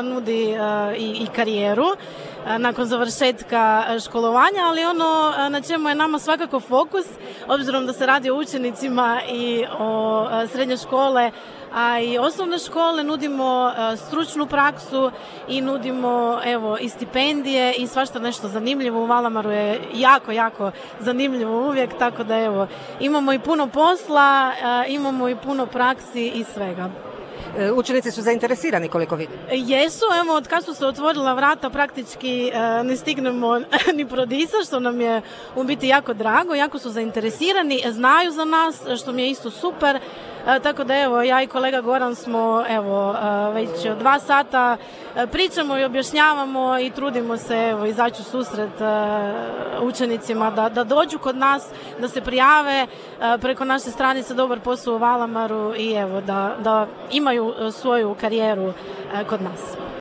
nudi i karijeru nakon završetka školovanja, ali ono na čemu je nama svakako fokus, obzirom da se radi o učenicima i o srednje škole, a i osnovne škole, nudimo stručnu praksu i nudimo i stipendije i svašta nešto zanimljivo. U Valamaru je jako zanimljivo uvijek, tako da imamo i puno posla, imamo i puno praksi i svega. Učenici su zainteresirani, koliko vidim. Jesu, od kad su se otvorila vrata praktički ne stignemo ni prodisati, što nam je u biti jako drago, jako su zainteresirani, znaju za nas, što mi je isto super, tako da ja i kolega Goran smo već 2 sata pričamo i objašnjavamo i trudimo se izaći u susret učenicima da dođu kod nas, da se prijave preko naše stranice Dobar posao u Valamaru i da imaju svoju karijeru kod nas.